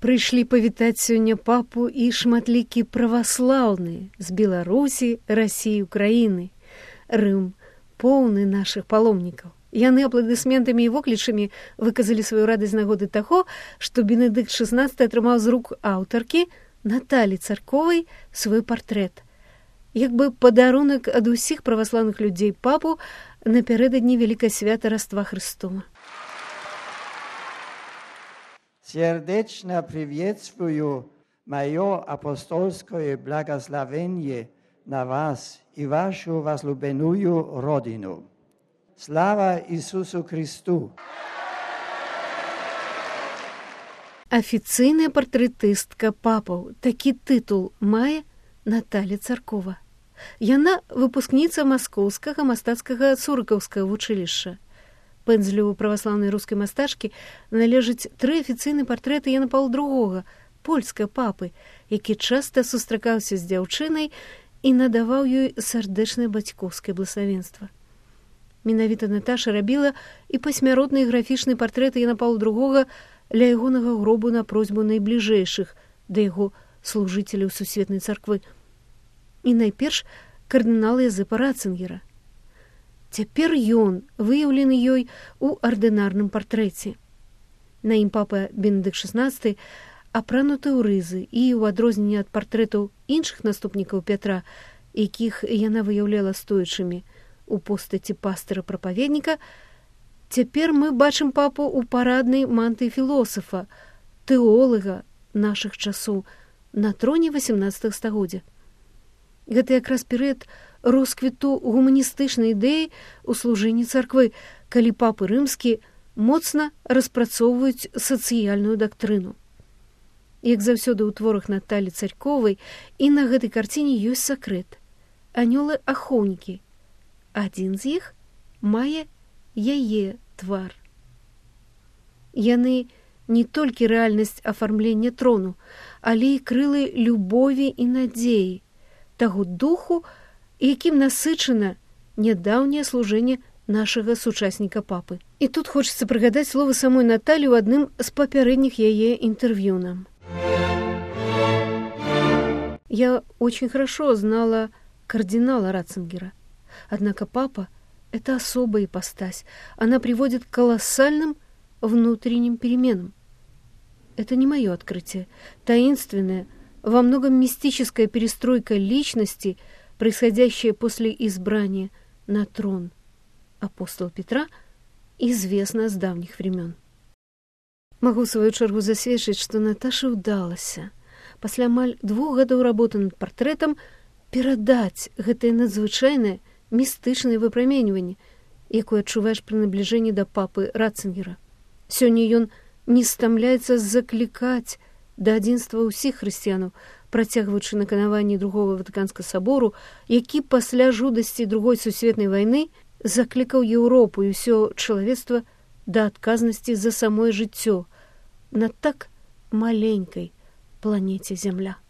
Прыйшлі павітаць сёння папу і шматлікія праваслаўныя з Беларусі, Расіі, Украіны. Рым поўны нашых паломнікаў. Яны апладысментамі і воклічамі выказалі сваю радасць з нагоды таго, што Бенедыкт XVI атрымаў з рук аўтаркі Наталі Царковай свой партрэт. Як бы падарунак ад усіх праваслаўных людзей папу напярэдадні вялікае свята Раства Христова. Сердечно приветствую мое апостольское благословение на вас и вашу возлюбленную Родину. Слава Иисусу Христу! Афіцыйная партрэтыстка папаў. Такі тытул мае Наталя Царкова. Яна выпускніца Маскоўскага мастацкага Цурыкаўскага вучылішча. Пэндзлю праваслаўнай рускай мастачкі належаць 3 афіцыйныя партрэты Яна Паўла II, польскага папы, які часта сустракаўся з дзяўчынай і надаваў ёй сардэчнае бацькоўскае блаславенства. Менавіта Наташа рабіла і пасмяротныя графічныя партрэты Яна Паўла II ля ягонага гробу на просьбу найбліжэйшых да яго служыцеляў сусветнай царквы. І найперш кардынала Язэпа Ратцынгера. Цяпер ён выяўлены ёй у ардынарным партрэце. На ім папа Бенедыкт XVI апрануты ў рызы і, у адрозненне ад партрэтаў іншых наступнікаў Пятра, якіх яна выяўляла стоячымі у постаці пастыра-прапаведніка, цяпер мы бачым папу ў параднай мантыі філосафа, тэолага нашых часоў на троне 18 стагоддзя. Гэта якраз перыяд росквіту гуманістычнай ідэі ў служэнні царквы, калі папы рымскі моцна распрацоўваюць сацыяльную дактрыну. Як заўсёды ў творах Наталі Царковай і на гэтай карціне ёсць сакрэт. Анёлы-ахоўнікі. Адзін з іх мае яе твар. Яны не толькі рэальнасць афармлення трону, але і крылы любові і надзеі, таго духу, якім насычана нядаўняе служэнне нашага сучасніка папы. І тут хочацца прыгадаць словы самой Наталі ў адным з папярэдніх яе інтэрв'ю нам. Я очень хорошо знала кардинала Ратцингера. Однако папа – это особая ипостась. Она приводит к колоссальным внутренним переменам. Это не мое открытие. Таинственная, во многом мистическая перестройка личности, происходящая после избрания на трон апостола Петра, известна с давних времен. Могу в свою чергу засведчыць, што Наташа ўдалася пасля амаль 2 гадоў работы над партрэтам перадаць гэтае надзвычайнае містычнае выпраменьванне, якое адчуваеш пры набліжэнні да папы Ратцингера. Сёння ён не стамляецца заклікаць да адзінства ўсіх хрысціянаў, працягваючы наканаванні Другого Ватыканскага сабору, які пасля жудасці Другой сусветнай вайны заклікаў Еўропу і ўсё чалавецтва да адказнасці за самое жыццё на так маленькай планеце Зямля.